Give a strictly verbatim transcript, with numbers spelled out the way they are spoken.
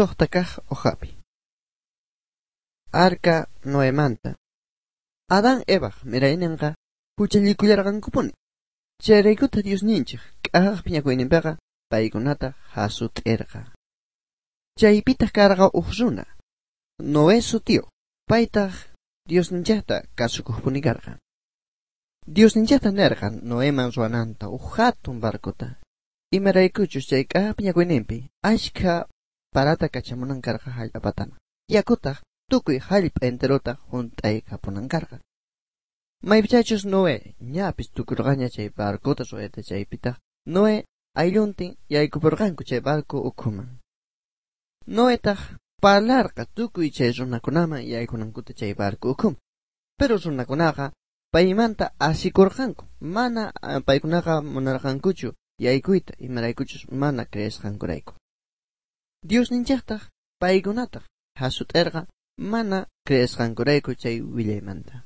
Sojta kaj hojapi. Arca Noemanta. Adán Evaj miraynenqa huchallikullarqankupuni. Chayraykuta Diosninchik k'ajaj phiñakuyninpiqa paykunata hasut'irqa. Chaypitaq karqa uj runa, Noé sutiyuq, paytaq Diosninchikta kasukuqpuni karqa. Diosninchikta nerqa Noeman ruwananta uj hatun barcota. Imaraykuchus chay k'ajaj phiñakuyninpi ashkha parata kachamunan karqa hallp'a pataman. Yakutaq tukuy hallp'a enterota hunt'aykapunan karqa. Maypichachus Noé ñapis tukurqaña chay barcota ruwayta chaypitaq Noé aylluntin yaykupurqanku chay barco ukhuman. Noetaq parlarqa tukuy chay runakunaman yaykunankuta chay barco ukhuman. Pero runakunaqa paymanta asikurqanku, mana paykunaqa munarqankuchu yaykuyta imaraykuchus mana creesqankurayku. Diosninchiktaq paykunataq hasut'irqa mana creesqankurayku chay willaymanta.